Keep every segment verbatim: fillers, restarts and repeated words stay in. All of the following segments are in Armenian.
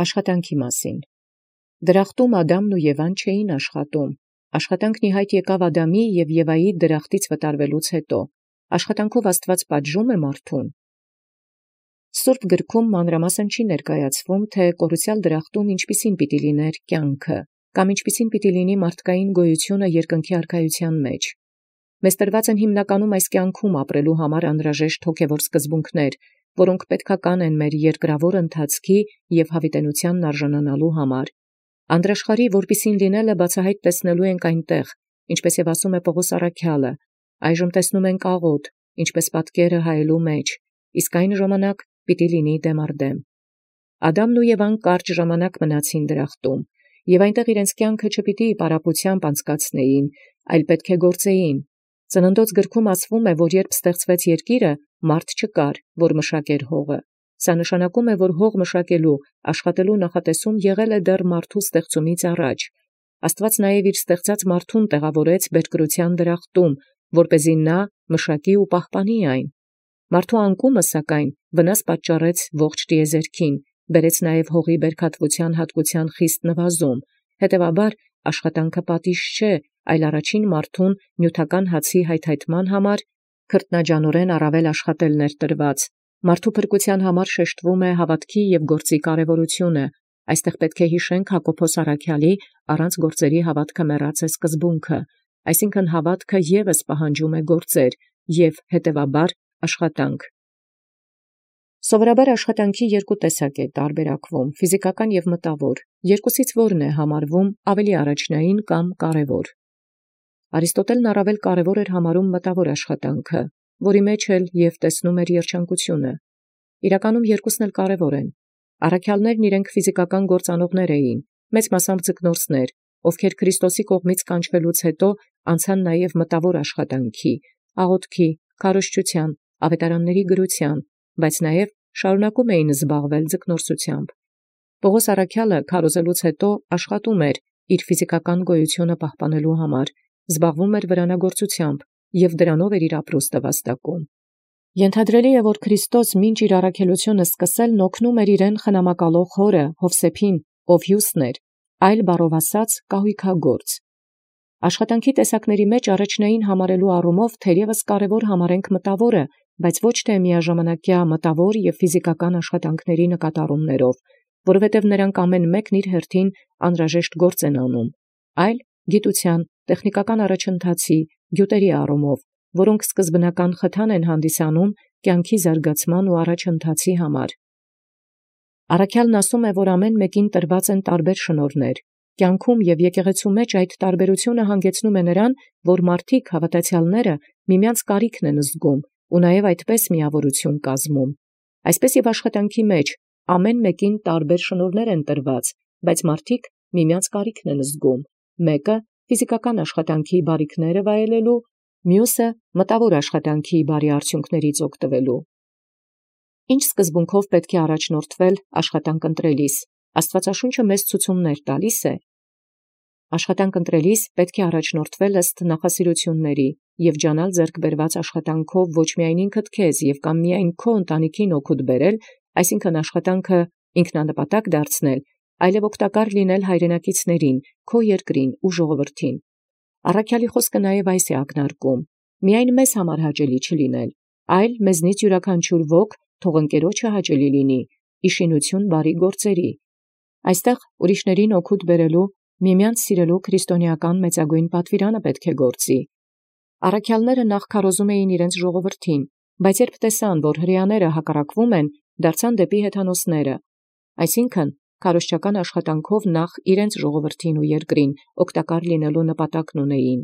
Աշխատանքի մասին։ Դրախտում Ադամն և Եվան չէին աշխատում. աշխատանքն իհայտ եկավ Ադամի և Եվայի դրախտից վտարվելուց հետո. աշխատանքով Աստուած պատժում է մարդուն։ Սուրբ գրքում մանրամասն չի ներկայացվում, թե կորուսյալ դրախտում ինչպիսին պիտի լիներ կյանքը, կամ ինչպիսին պիտի լինի մարդկային գոյությունը երկնքի արքայության մեջ։ Մեզ տրված են հիմնականում այս կյանքում ապրելու համար անհրաժեշտ հոգևոր սկզբունքներ, որոնք պետքական են մեր երկրավոր ընթացքի և հավիտենությանն արժանանալու համար։ Անդրաշխարհի որպիսին լինելը բացահայտ տեսնելու ենք այնտեղ, ինչպես և ասում է Պողոս առաքյալը, այժմ տեսնում ենք աղոտ, ինչպես պատկերը հայելու մեջ, իսկ այն ժամանակ պիտի լինի դեմ առ դեմ։ Ադամն ու Եվան կարճ ժամանակ մնացին դրախտում, և այնտեղ իրենց կյանքը չպիտի պարապությամբ անցկացնեին, այլ պետք է գործեին։ Ծննդոց գրքում ասվում է, որ երբ ստեղծվեց երկիրը, մարդ չկար, որ մշակեր հողը։ Սա նշանակում է, որ հող մշակելու, աշխատելու նախատեսում եղել է դեռ մարդու ստեղծումից առաջ։ Աստուած նաև իր ստեղծած մարդուն տեղավորեց բերկրության դրախտում, որպեսզի նա մշակի ու պահպանի այն։ Մարդու անկումը, սակայն, վնաս պատճառեց ողջ տիեզերքին, բերեց նաև հողի բերքատվության հատկության խիստ նվազում, հետևաբար աշխատանքը պատիժ չէ, այլ առաջին մարդուն նյութական հացի հայթայթման համար քրտնաջանորեն առավել աշխատելն էր տրված։ Մարդու փրկության համար շեշտվում է հավատքի և գործի կարևորությունը։ Այստեղ պետք է հիշենք Հակոբոս առաքյալի առանց գործերի հավատքը մեռած է սկզբունքը, այսինքն հավատքը ևս պահանջում է գործեր և հետևաբար աշխատանք։ Սովորաբար աշխատանքի երկու տեսակ է տարբերակվում՝ ֆիզիկական և մտավոր։ Երկուսից որն է համարվում ավելի առաջնային կամ կարևոր։ Արիստոտելն առավել կարևոր էր համարում մտավոր աշխատանքը, որի մեջ էլ և տեսնում էր երջանկությունը։ Իրականում երկուսն էլ կարևոր են։ Առաքյալներն իրենք ֆիզիկական գործանողներ էին, մեծ մասամբ ձկնորսներ, ովքեր Քրիստոսի կողմից կանչվելուց հետո անցան նաև մտավոր աշխատանքի, աղոթքի, քարոզչության, ավետարանների գրության, բայց նաև շարունակում էին զբաղվել ձկնորսությամբ։ Պողոս առաքյալը քարոզելուց հետո աշխատում էր իր ֆիզիկական գոյությունը պահպանելու համար, զբաղվում էր վրանագործությամբ և դրանով էր իր ապրուստը վաստակում։ Ենթադրելի է, որ Քրիստոս մինչ իր առաքելությունը սկսելն օգնում էր իրեն խնամակալող հորը Յովսեփին, ով հյուսն էր, այլ բառով ասած կահույքագործ։ Աշխատանքի տեսակների մեջ առաջնային համարելու առումով թերևս կարևոր համարենք մտավորը, բայց ոչ թե միաժամանակյա մտավոր և ֆիզիկական աշխատանքների նկատառումներով, որովհետև նրանք ամեն մեկն իր հերթին անհրաժեշտ գործ են անում, այլ գիտության, տեխնիկական առաջընթացի, գյուտերի առումով, որոնք սկզբնական խթան են հանդիսանում կյանքի զարգացման ու առաջընթացի համար։ Առաքյալն ասում է, որ ամեն մեկին տրված են տարբեր շնորհներ։ Կյանքում և եկեղեցու մեջ այդ տարբերությունը հանգեցնում է նրան, որ մարդիկ հավատացյալները միմյանց կարիքն են զգում ու նաև այդպես միավորություն կազմում։ Այսպես և աշխատանքի մեջ ամեն մեկին տարբեր շնորհներ են տրված, բայց մարդիկ միմյանց կարիքն են զգում։ Մեկը ֆիզիկական աշխատանքի բարիքները վայելելու, մյուսը մտավոր աշխատանքի բարի արդյունքներից օգտվելու։ Ինչ սկզբունքով պետք է առաջնորդվել աշխատանք ընտրելիս։ Աստվածաշունչը մեզ ցուցումներ տալիս է։ Աշխատանք ընտրելիս պետք է առաջնորդվել ըստ նախասիրությունների և ջանալ ձեռք բերված աշխատանքով ոչ միայն ինքդ քեզ և կամ միայն քո ընտանիքին օգուտ բերել, այսինքն աշխատանքը ինքնանպատակ դարձնել, այլև օգտակար լինել հայրենակիցներին, քո երկրին ու ժողովրդին։ Առաքյալի խոսքը նաև այս է ակնարկում. միայն մեզ համար հաճելի չլինել, այլ մեզնից յուրաքանչյուր ոք թող ընկերոջը հաճելի լինի, իշխինություն բարի գործերի։ Այստեղ ուրիշներին օգուտ բերելու, միմյանց սիրելու քրիստոնեական մեծագույն պատվիրանը պետք է գործի։ Առաքյալները նախ քարոզում էին իրենց ժողովրդին, բայց երբ տեսան, որ հրեաները հակառակվում են, դարձան դեպի հեթանոսները, այսինքն քարոզչական աշխատանքով նախ իրենց ժողովրդին ու երկրին օգտակար լինելու նպատակն ունեին։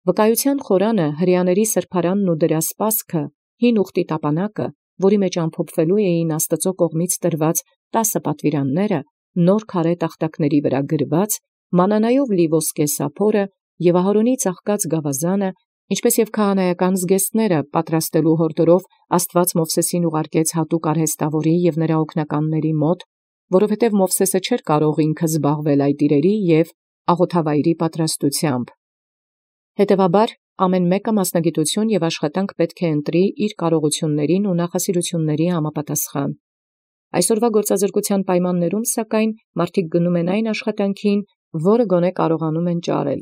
Վկայության խորանը հրեաների սրբարանն ու դրա սպասքը, հին ուխտի տապանակը, որի մեջ ամփոփվելու էին Աստծո կողմից տրված տասը պատվիրանները, նոր քարե տախտակների վրա գրված, մանանայով լի ոսկե սափորը և Ահարոնի ծաղկած գավազանը, ինչպես և քահանայական զգեստները պատրաստելու հորդորով Աստված Մովսեսին ուղարկեց հատուկ արհեստավորի և նրա օգնականների մոտ, որովհետև Մովսեսը չէր կարող ինքը զբաղվել այդ իրերի և աղոթավայրի պատրաստությամբ։ Հետևաբար ամեն մեկը մասնագիտություն և աշխատանք պետք է ընտրի իր կարողություններին ու նախասիրությունների համապատասխան։ Այսօրվա գործազրկության պայմաններում սակայն մարդիկ գնում են այն աշխատանքին, որը գոնե կարողանում են ճարել։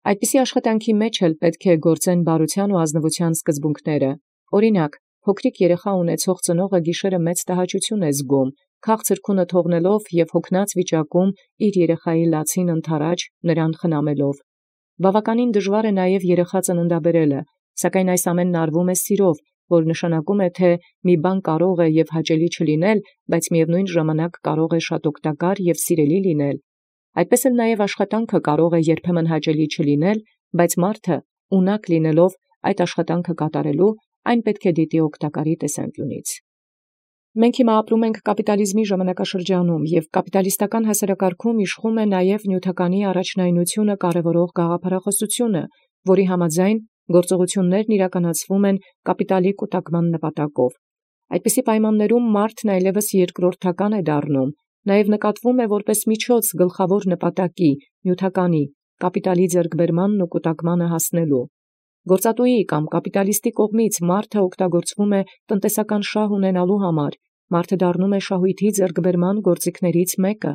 Այդպիսի աշխատանքի մեջ էլ պետք է գործեն բարության ու ազնվության սկզբունքները։ Օրինակ, փոքրիկ երեխա ունեցող ծնողը գիշերը մեծ տհաճություն է զգում, քաղցր քունը թողնելով եւ հոգնած վիճակում իր երեխայի լացին ընթരാճ նրան խնամելով։ Բավականին դժվար է նաև երեխա ծննդաբերելը, սակայն այս ամենն արվում է սիրով, որ նշանակում է, թե մի բան կարող է եւ հաճելի չլինել, բայց միևնույն ժամանակ կարող է շատ օգտակար եւ սիրելի լինել։ Այդպես էլ նաև աշխատանքը կարող է երբեմն հաճելի չլինել, բայց մարդը ունակ լինելով այդ աշխատանքը կատարելու, այն պետք է դիտի օգտակարի տեսանկյունից։ Մենք հիմա ապրում ենք կապիտալիզմի ժամանակաշրջանում, եւ կապիտալիստական հասարակարգում իշխում է նաև նյութականի առաջնայնությունը կարևորող գաղափարախոսությունը, որի համաձայն գործողություններն իրականացվում են կապիտալի կուտակման նպատակով։ Այդպիսի պայմաններում մարդն այլևս երկրորդական է դառնում, նաև նկատվում է որպես միջոց գլխավոր նպատակի, նյութականի, կապիտալի ձեռքբերմանն ու կուտակմանը հասնելու։ Գործատուի կամ կապիտալիստի կողմից մարդը օգտագործվում է տնտեսական շահ ունենալու համար, մարդը դառնում է շահույթի ձեռքբերման գործիքներից մեկը։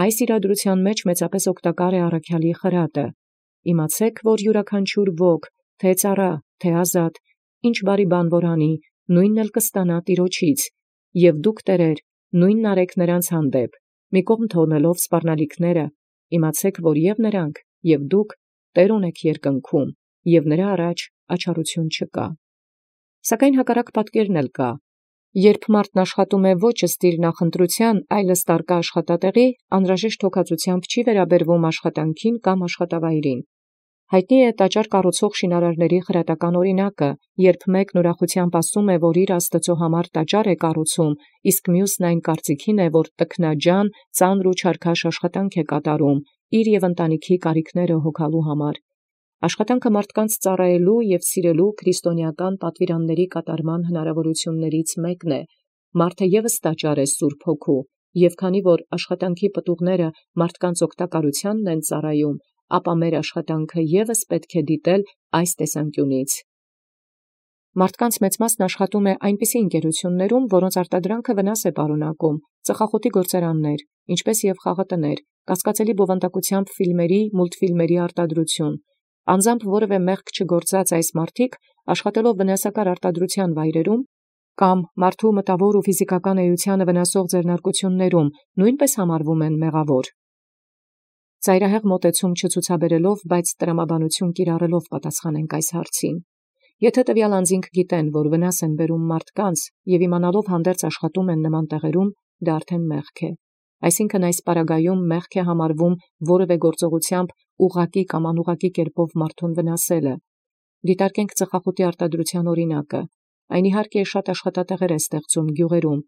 Այս իրադրության մեջ մեծապես օգտակար է առաքյալի խրատը. «Իմացեք, որ յուրաքանչյուր ոք, թե ծառա, թե ազատ, ինչ բարի բան որ անի, նույնն էլ կստանա տիրոջից, և դուք տերեր, նույնն արեք նրանց հանդեպ, մի կողմ թողնելով սպառնալիքները, իմացեք, որ և նրանք, և դուք տեր ունեք երկնքում, և նրա առաջ աչառություն չկա»։ Սակայն հակառակ պատկերն էլ կա. երբ մարդն աշխատում է ոչ ըստ իր նախընտրության, այլ ըստ առկա աշխատատեղի, անհրաժեշտ հոգացությամբ չի վերաբերվում աշխատանքին կամ աշխատավայրին։ Հայտնի է տաճար կառուցող շինարարների խրատական օրինակը, երբ մեկն ուրախությամբ ասում է, որ իր Աստծո համար տաճար է կառուցում, իսկ մյուսն այն կարծիքին է, որ տքնաջան, ծանր ու չարքաշ աշխատանք է կատարում, իր եւ ընտանիքի կարիքները հոգալու համար։ Աշխատանքը մարդկանց ծառայելու եւ սիրելու քրիստոնեական պատվիրանների կատարման հնարավորություններից մեկն է։ Մարդը եւս տաճար է Սուրբ Հոգու, եւ քանի որ աշխատանքի պտուղները մարդկանց օգտակարությանն են ծառայում, ապա մեր աշխատանքը եւս պետք է դիտել այս տեսանկյունից։ Մարդկանց մեծ մասն աշխատում է այնպիսի ընկերություններում, որոնց արտադրանքը վնաս է պարունակում, ծխախոտի գործարաններ, ինչպես եւ խաղատներ, կասկածելի բովանդակությամբ ֆիլմերի, մուլտֆիլմերի արտադրություն։ Անձամբ որևէ մեղք չգործած այս մարդիկ, աշխատելով վնասակար արտադրության վայրերում կամ մարդու մտավոր ու ֆիզիկական էությանը վնասող ձեռնարկություններում, նույնպես համարվում են մեղավոր։ Ծայրահեղ մոտեցում չցուցաբերելով, բայց տրամաբանություն կիրառելով պատասխանենք այս հարցին։ Եթե տվյալ անձինք գիտեն, որ վնաս են բերում մարդկանց եւ իմանալով հանդերձ աշխատում են նման տեղերում, դա արդեն մեղք է։ Այսինքն այս պարագայում մեղք է համարվում որևէ գործողությամբ ուղղակի կամ անուղղակի կերպով մարդուն վնասելը։ Դիտարկենք ծխախոտի արտադրության օրինակը։ Այն իհարկե շատ աշխատատեղեր է ստեղծում գյուղերում,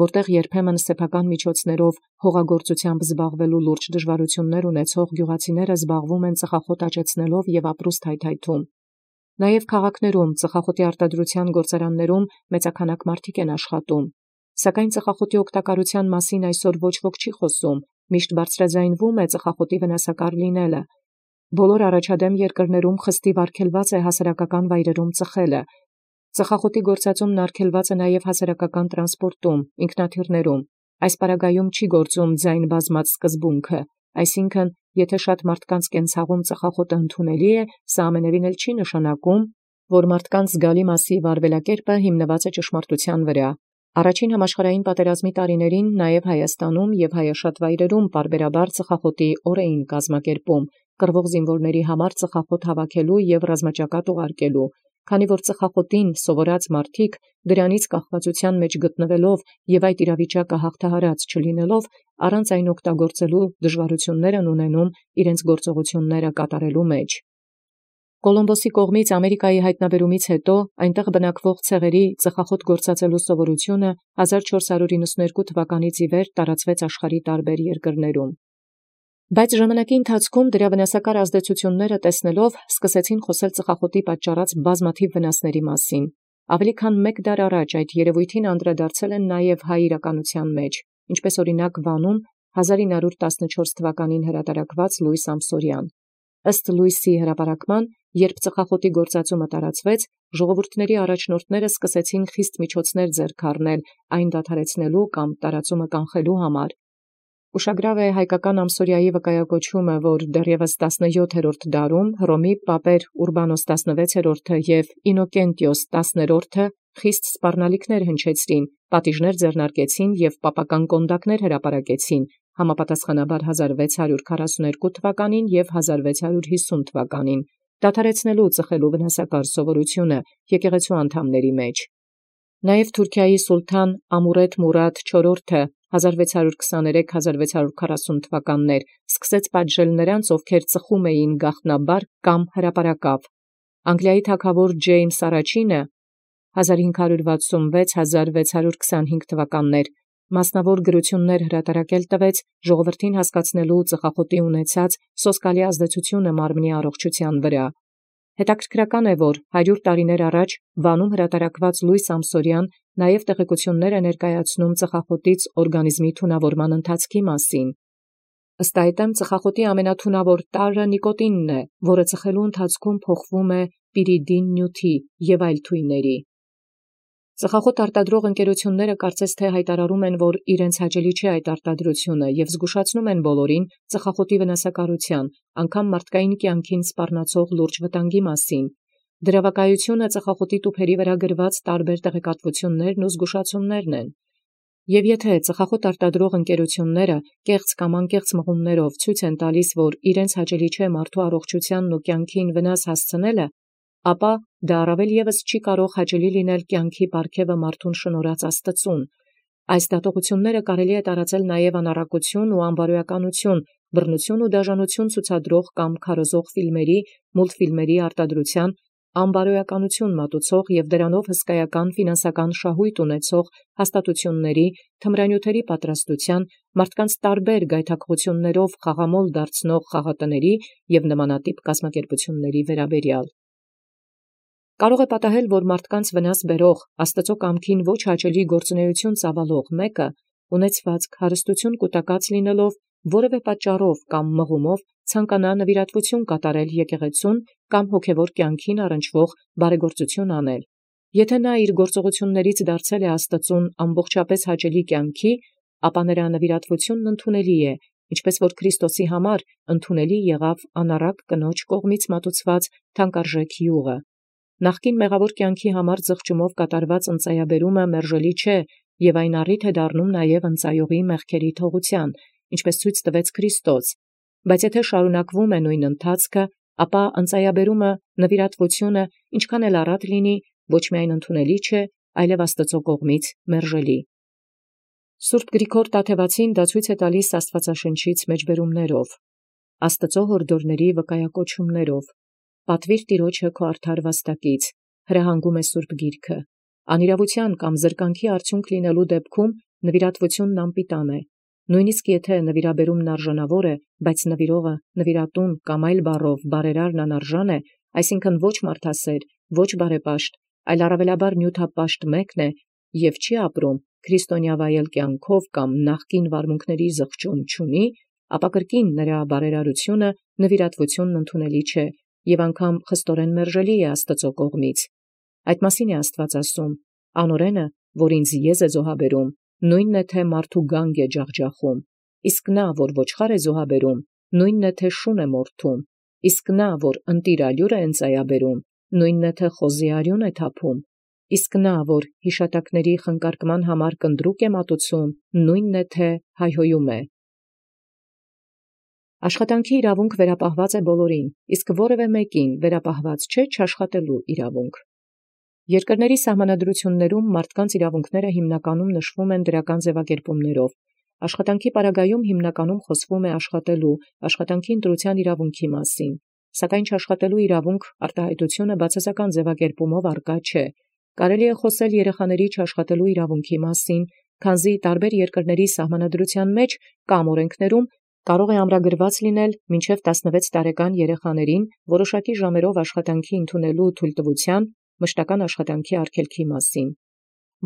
որտեղ երբեմն սեփական միջոցներով հողագործությամբ զբաղվելու լուրջ դժվարություններ ունեցող գյուղացիները զբաղվում են ծխախոտ աճեցնելով եւ ապրուստ հայթայթում։ Նաև քաղաքներում ծխախոտի արտադրության գործարաններում մեծաքանակ մարդիկ են աշխատում։ Սակայն ծխախոտի օգտակարության մասին այսօր ոչ ոք չի խոսում, միշտ բարձրաձայնվում է ծխախոտի վնասակար լինելը։ Բոլոր առաջադեմ երկրներում խստիվ արգելված է հասարակական վայրերում ծխելը։ Ծխախոտի գործածումն արգելված է նաև հասարակական տրանսպորտում, ինքնաթիռներում։ Այս պարագայում չի գործում ձայն բազմած սկզբունքը, այսինքն, եթե շատ մարդկանց կենցաղում ծխախոտը ընդունելի է, սա ամենևին էլ չի նշանակում, որ մարդկանց զգալի մասի վարվելակերպը հիմնված է ճշմարտության վրա։ Առաջին համաշխարհային պատերազմի տարիներին նաև Հայաստանում եւ հայաշատ վայրերում պարբերաբար ծխախոտի օր էին կազմակերպում, կռվող զինվորների համար ծխախոտ հավաքելու եւ ռազմաճակատ ուղարկելու, քանի որ ծխախոտին սովորած մարդիկ դրանից կախվածության մեջ գտնվելով եւ այդ իրավիճակը հաղթահարած չլինելով, առանց այն օգտագործելու դժվարություններ են ունենում իրենց գործողությունները կատարելու մեջ։ Կոլումբոսի կողմից Ամերիկայի հայտնաբերումից հետո այնտեղ բնակվող ցեղերի ծխախոտ գործածելու սովորությունը հազար չորս հարյուր իննսունհերկու թվականից ի վեր տարածվեց աշխարհի տարբեր երկրներում։ Բայց ժամանակի ընթացքում դրա վնասակար ազդեցությունները տեսնելով սկսեցին խոսել ծխախոտի պատճառած բազմաթիվ վնասների մասին։ Ավելի քան մեկ դար առաջ այդ երևույթին անդրադարձել են նաև հայ իրականության մեջ, ինչպես օրինակ Վանում հազար ինը հարյուր տասնչորս թվականին հրատարակված Լուիս Ամսորյան։ Ըստ լույսի հրապարակման, երբ ծխախոտի գործածումը տարածվեց, ժողովուրդների առաջնորդները սկսեցին խիստ միջոցներ ձեռք առնել այն դադարեցնելու կամ տարածումը կանխելու համար։ Ուշագրավ է հայկական ամսորիայի վկայակոչումը, որ դեռևս տասնյոթերորդ դարում Հռոմի պապեր Ուրբանոս տասնվեցերորդը և Ինոկենտիոս տասներորդը խիստ սպառնալիքներ հնչեցրին, պատիժներ ձեռնարկեցին և պապական կոնդակներ հրապարակեցին, համապատասխանաբար հազար վեց հարյուր քառասունութ թվականին և հազար վեց հարյուր հիսուն թվականին, դադարեցնելու ծխելու վնասակար սովորությունը եկեղեցու անդամների մեջ։ Նաև Թուրքիայի սուլթան Ամուրետ Մուրադ չորրորդը հազար վեց հարյուր քսաներեք հազար վեց հարյուր քառասուն թվականներ սկսեց պատժել նրանց, ովքեր ծխում էին գաղտնաբար կամ հրապարակավ։ Անգլիայի թագավոր Ջեյմս առաջինը հազար հինգ հարյուր վաթսունվեց հազար վեց հարյուր քսանհինգ թվականներ մասնավոր գրություններ հրատարակել տվեց ժողովրդին հասկացնելու ծխախոտի ունեցած սոսկալի ազդեցությունը մարմնի առողջության վրա։ Հետաքրքրական է, որ հարյուր տարիներ առաջ Վանում հրատարակված Լույս Ամսորյան նաև տեղեկություններ է ներկայացնում ծխախոտից օրգանիզմի թունավորման ընթացքի մասին։ Ըստ այդմ ծխախոտի ամենաթունավոր տարրը նիկոտինն է, որը ծխելու ընթացքում փոխվում է պիրիդին նյութի և այլ թույների։ Ծխախոտ արտադրող ընկերությունները կարծես թե հայտարարում են, որ իրենց հաճելի չէ այդ արտադրությունը և զգուշացնում են բոլորին ծխախոտի վնասակարության, անգամ մարդկային կյանքին սպառնացող լուրջ վտանգի մասին։ Դրա վկայությունը ծխախոտի տուփերի վրա գրված տարբեր տեղեկատվություններն ու զգուշացումներն են։ Եվ եթե ծխախոտ արտադրող ընկերությունները կեղծ կամ անկեղծ մղումներով ցույց են տալիս, որ իրենց հաճելի չէ մարդու առողջությանն ու կյանքին վնաս հասցնելը, ապա դա առավել ևս չի կարող հաճելի լինել կյանքի պարգևը մարդուն շնորհած Աստծուն։ Այս դատողությունները կարելի է տարածել նաև անառակություն ու անբարոյականություն, բռնություն ու դաժանություն ցուցադրող կամ քարոզող ֆիլմերի, մուլտֆիլմերի արտադրության, անբարոյականություն մատուցող և դրանով հսկայական ֆինանսական շահույթ ունեցող հաստատությունների, թմրանյութերի պատրաստության, մարդկանց տարբեր գայթակղություններով խաղամոլ դարձնող խաղատների և նմանատիպ կազմակերպությունների վերաբերյալ։ Կարող է պատահել, որ մարդկանց վնաս բերող, Աստծո կամքին ոչ հաճելի գործունեություն ծավալող մեկը, ունեցվածք, հարստություն կուտակած լինելով, որևէ պատճառով կամ մղումով ցանկանա նվիրատվություն կատարել եկեղեցուն կամ հոգևոր կյանքին առնչվող բարեգործություն անել։ Եթե նա իր գործողություններից դարձել է Աստծուն ամբողջապես հաճելի կյանքի, ապա նրա նվիրատվությունն ընդունելի է, ինչպես որ Քրիստոսի համար ընդունելի եղավ անառակ կնոջ կողմից մատուցված թանկարժեք յուղը։ Նախկին մեղավոր կյանքի համար զղջումով կատարված ընծայաբերումը մերժելի չէ և այն առիթ է դառնում նաև ընծայողի մեղքերի թողության, ինչպես ցույց տվեց Քրիստոս, բայց եթե շարունակվում է նույն ընթացքը, ապա ընծայաբերումը, նվիրատվությունը, ինչքան էլ առատ լինի, ոչ միայն ընդունելի չէ, այլև Աստծո կողմից մերժելի։ Սուրբ Գրիգոր Տաթևացին դա ցույց է տալիս Աստվածաշնչից մեջբերումներով, Աստծո հորդորների վկայակոչումներով։ Պատվիր Տիրոջը քո արդար վաստակից, հրահանգում է Սուրբ Գիրքը։ Անիրավության կամ զրկանքի արդյունք լինելու դեպքում նվիրատվությունն անպիտան է։ Նույնիսկ եթե նվիրաբերումն արժանավոր է, բայց նվիրողը նվիրատուն կամ այլ բառով բարերարն անարժան է, այսինքն ոչ մարդասեր, ոչ բարեպաշտ, այլ առավելաբար նյութապաշտ մեկն է և չի ապրում քրիստոնյա վայել կյանքով կամ նախկին վարմունքների զղջում չունի, ապա կրկին նրա բարերարությունը նվիրատվությունն ընդունելի չէ և անգամ խստորեն մերժելի է Աստծո կողմից։ Այդ մասին է Աստված ասում. «Անօրենը, որ ինձ եզ է զոհաբերում, նույնն է թե մարդու գանգ է ջախջախում, իսկ նա, որ ոչխար է զոհաբերում, նույնն է թե շուն է մորթում, իսկ նա, որ ընտիր ալյուր է ընծայաբերում, նույնն է թե խոզի արյուն է թափում, իսկ նա, որ հիշատակների խնկարկման համար կնդրուկ է մատուցում, նույնն է թե հայհոյում է»։ Աշխատանքի իրավունք վերապահված է բոլորին, իսկ որևէ մեկին վերապահված չէ չաշխատելու իրավունք։ Երկրների սահմանադրություններում մարդկանց իրավունքները հիմնականում նշվում են դրական ձևակերպումներով։ Աշխատանքի պարագայում հիմնականում խոսվում է աշխատելու, աշխատանքի ընտրության իրավունքի մասին, սակայն չաշխատելու իրավունք արտահայտությունը բացասական ձևակերպումով առկա չէ։ Կարելի է խոսել երեխաների չաշխատելու իրավունքի մասին, քանզի տարբեր երկրների սահմանադրության մեջ կամ օրենքներում կարող է ամրագրված լինել մինչև տասնվեց տարեկան երեխաներին որոշակի ժամերով աշխատանքի ընդունելու թույլտվության մշտական աշխատանքի արգելքի մասին։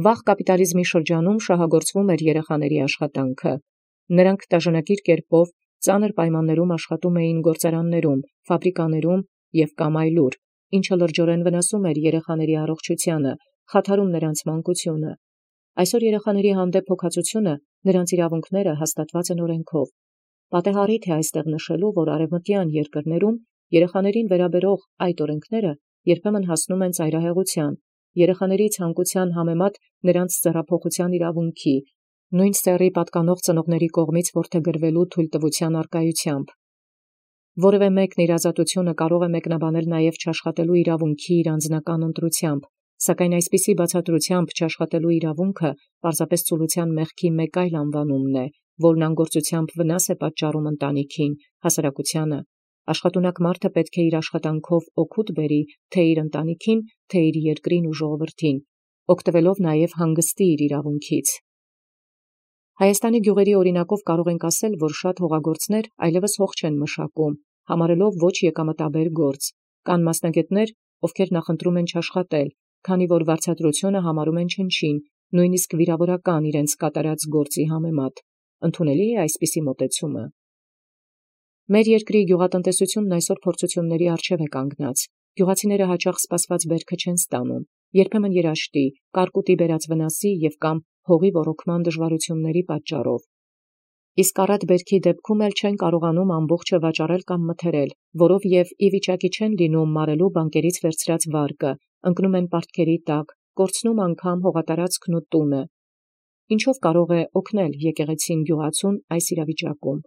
Վաղ կապիտալիզմի շրջանում շահագործվում էր երեխաների աշխատանքը։ Նրանք դաժանակիր կերպով ծանր պայմաններում աշխատում էին գործարաններում, ֆաբրիկաներում և կամ այլուր, ինչը լրջորեն վնասում էր երեխաների առողջությանը, խաթարում նրանց մանկությունը։ Այսօր երեխաների հանդեպ հոգացությունը, նրանց իրավունքները հաստատված են օրենքով։ Պատեհարիթ է այստեղ նշելու, որ արևմտյան երկրներում երեխաներին վերաբերող այդ օրենքները երբեմն հասնում են ծայրահեղության, երեխաների ցանկության համեմատ նրանց ձեռափոխության իրավունքի, նույն սեռի պատկանող ծնողների կողմից որդեգրվելու թույլտվության առկայությամբ։ Որևէ մեկն իր ազատությունը կարող է մեկնաբանել նաև չաշխատելու իրավունքի իր անձնական ընտրությամբ, սակայն այսպիսի բացատրությամբ չաշխատելու իրավունքը պարզապես ծուլության մեղքի մեկ այլ անվանումն է, որն անգործությամբ վնաս է պատճառում ընտանիքին, հասարակությանը։ Աշխատունակ մարդը պետք է իր աշխատանքով օգուտ բերի թե իր ընտանիքին, թե իր երկրին ու ժողովրդին, օգտվելով նաև հանգստի իր իրավունքից։ Հայաստանի գյուղերի օրինակով կարող ենք ասել, որ շատ հողագործներ այլևս հող չեն մշակում, համարելով ոչ եկամտաբեր գործ։ Կան մասնագետներ, ովքեր նախընտրում են չաշխատել, քանի որ վարձատրությունը համարում են չնչին, նույնիսկ վիրավորական իրենց կատարած գործի համեմատ։ Ընդունելի է այսպիսի մոտեցումը։ Մեր երկրի գյուղատնտեսությունն այսօր փորձությունների առջև է կանգնած։ Գյուղացիները հաճախ սպասված բերքը չեն ստանում, երբեմն երաշտի, կարկուտի բերած վնասի և կամ հողի ոռոգման դժվարությունների պատճառով։ Իսկ առատ բերքի դեպքում էլ չեն կարողանում ամբողջը վաճառել կամ մթերել, որով և ի վիճակի չեն լինում մարելու բանկերից վերցրած վարկը, ընկնում են պարտքերի տակ, կորցնում անգամ հողատարածքն ու տունը։ Ինչով կարող է օգնել եկեղեցին գյուղացուն այս իրավիճակում։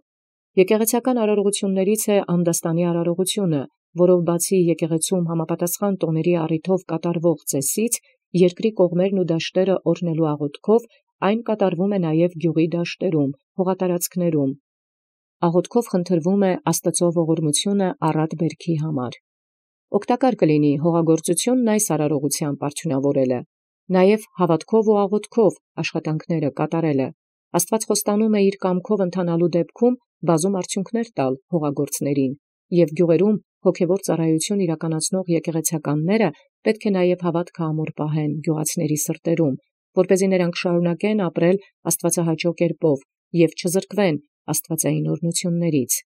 Եկեղեցական արարողություններից է անդաստանի արարողությունը, որով բացի եկեղեցում համապատասխան տոների առիթով կատարվող ծեսից, երկրի կողմերն ու դաշտերը օրհնելու աղոթքով այն կատարվում է նաև գյուղի դաշտերում, հողատարածքներում։ Աղոթքով խնդրվում է Աստծո ողորմությունը առատ բերքի համար։ Օգտակար կլինի հողագործությունն այս արարողությամբ արդյունավորելը, նաև հավատքով ու աղոթքով աշխատանքները կատարելը։ Աստված խոստանում է իր կամքով ընթանալու դեպքում բազում արդյունքներ տալ հողագործներին, և գյուղերում հոգևոր ծառայություն իրականացնող եկեղեցականները պետք է նաև հավատքը ամուր պահեն գյուղացիների սրտերում, որպեսզի նրանք շարունակեն ապրել աստվածահաճո կերպով և չզրկվեն աստվածային օրհնություններից։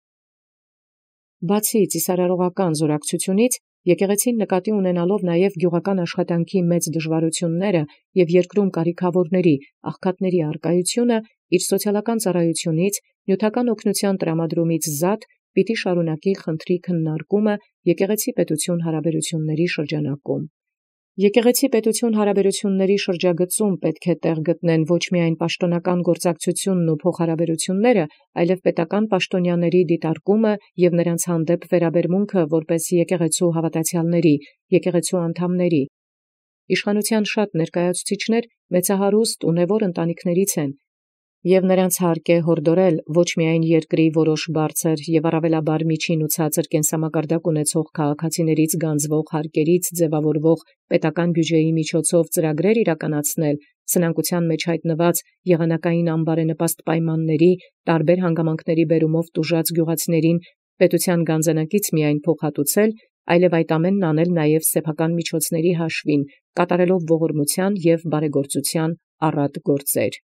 Բացի ծիսարարողական զորակցությունից, եկեղեցին նկատի ունենալով նաև գյուղական աշխատանքի մեծ դժվարությունները և երկրում կարիքավորների, աղքատների առկայությունը, իր սոցիալական ծառայությունից, նյութական օգնության տրամադրումից զատ պիտի շարունակի խնդրի քննարկումը եկեղեցի պետություն հարաբերությունների շրջանակում։ Եկեղեցի պետություն հարաբերությունների շրջագծում պետք է տեղ գտնեն ոչ միայն պաշտոնական գործակցությունն ու փոխհարաբերությունները, այլև պետական պաշտոնյաների դիտարկումը և նրանց հանդեպ վերաբերմունքը որպես եկեղեցու հավատացյալների, եկեղեցու անդամների։ Իշխանության շատ ներկայացուցիչներ մեծահարուստ ունևոր ընտանիքներից են, և նրանց հարկ է հորդորել ոչ միայն երկրի որոշ բարձր և առավելաբար միջին ու ցածր կենսամակարդակ ունեցող քաղաքացիներից գանձվող հարկերից ձևավորվող պետական բյուջեի միջոցով ծրագրեր իրականացնել, սնանկության մեջ հայտնված եղանակային անբարենպաստ պայմանների, տարբեր հանգամանքների բերումով տուժած գյուղացիներին պետության գանձանակից միայն փոխհատուցել, այլև այդ ամենն անել նաև սեփական միջոցների հաշվին, կատարելով ողորմության և բարեգործության առատ գործեր։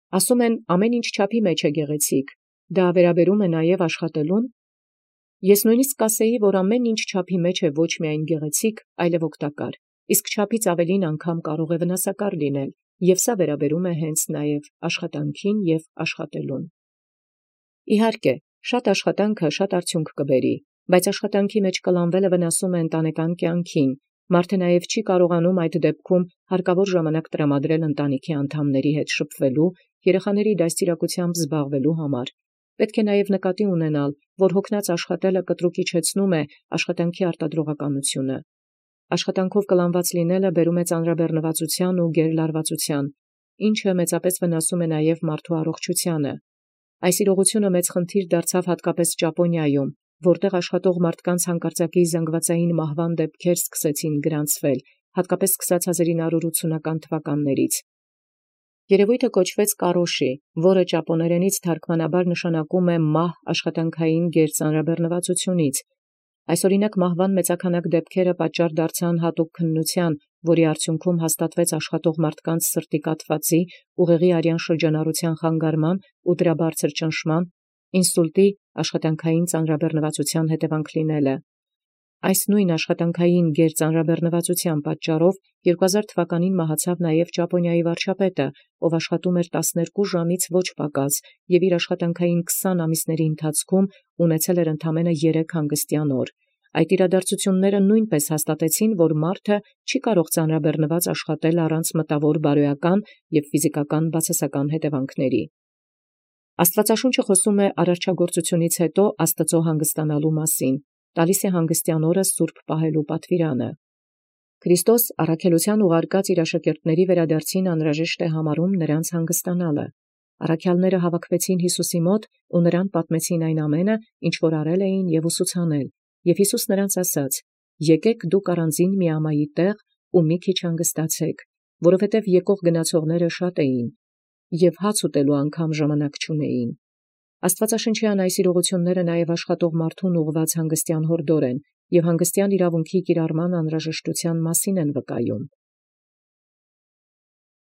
Ասում են ամեն ինչ չափի մեջ է գեղեցիկ, դա վերաբերում է նաև աշխատելուն։ Ես նույնիսկ կասեի, որ ամեն ինչ չափի մեջ է ոչ միայն գեղեցիկ, այլև օգտակար, իսկ չափից ավելին անգամ կարող է վնասակար լինել, և սա վերաբերում է հենց նաև աշխատանքին և աշխատելուն։ Իհարկե, շատ աշխատանքը շատ արդյունք կբերի, բայց աշխատանքի մեջ կլանվելը վնասում է ընտանեկան կյանքին, մարդը նաև չի կարողանում այդ դեպքում հարկավոր ժամանակ տրամադրել ընտանիքի անդամների հետ շփվելու, երեխաների դաստիարակությամբ զբաղվելու համար։ Պետք է նաև նկատի ունենալ, որ հոգնած աշխատելը կտրուկ իջեցնում է աշխատանքի արտադրողականությունը։ Աշխատանքով կլանված լինելը բերում է ծանրաբեռնվածության ու գերլարվածության, ինչը մեծապես վնասում է նաև մարդու առողջությանը։ Այս իրողությունը մեծ խնդիր դարձավ հատկապես Ճապոնիայում, որտեղ աշխատող մարդկանց հանկարծակի զանգվածային մահվան դեպքեր սկսեցին գրանցվել, հատկապես քսանասինը հարյուր ութսունական թվականներից։ Երևույթը կոչվեց կարոշի, որը ճապոներենից թարգմանաբար նշանակում է մահ աշխատանքային գերծանրաբեռնվածությունից։ Այսօրինակ մահվան մեծաքանակ դեպքերը պատճառ դարձան հատուկ քննության, որի արդյունքում հաստատվեց աշխատող մարդկանց սրտի կաթվածի, ուղեղի արյան շրջանառության խանգարման ու դրա բարձր ճնշման, ինսուլտի աշխատանքային ծանրաբեռնվածության հետևանք լինելը։ Այս նույն աշխատանքային գերծանրաբեռնվածության պատճառով երկու հազար թվականին մահացավ նաև Ճապոնիայի վարչապետը, ով աշխատում էր տասներկու ժամից ոչ պակաս և իր աշխատանքային քսան ամիսների ընթացքում ունեցել էր ընդամենը երեք հանգստյան օր։ Այդ իրադարձությունները նույնպես հաստատեցին, որ մարդը չի կարող ծանրաբեռնված աշխատել առանց մտավոր բարոյական և ֆիզիկական բացասական հետևանքների։ Աստվածաշունչը խոսում է արարչագործությունից հետո Աստծո հանգստանալու մասին, տալիս է հանգստյան օրը սուրբ պահելու պատվիրանը։ Քրիստոս առաքելության ուղարկած իր աշակերտների վերադարձին անհրաժեշտ է համարում նրանց հանգստանալը։ Առաքյալները հավաքվեցին Յիսուսի մոտ ու նրան պատմեցին այն ամենը, ինչ որ արել էին և ուսուցանել, և Յիսուս նրանց ասաց. «Եկեք դուք առանձին միամայի տեղ ու մի քիչ հանգստացեք, որովհետև եկող գնացողները շատ էին, և հաց ուտելու անգամ ժամանակ չունեին»։ Աստվածաշնչյան այս իրողությունները նաև աշխատող մարդուն ուղղված հանգստյան հորդոր են և հանգստյան իրավունքի կիրառման անհրաժեշտության մասին են վկայում։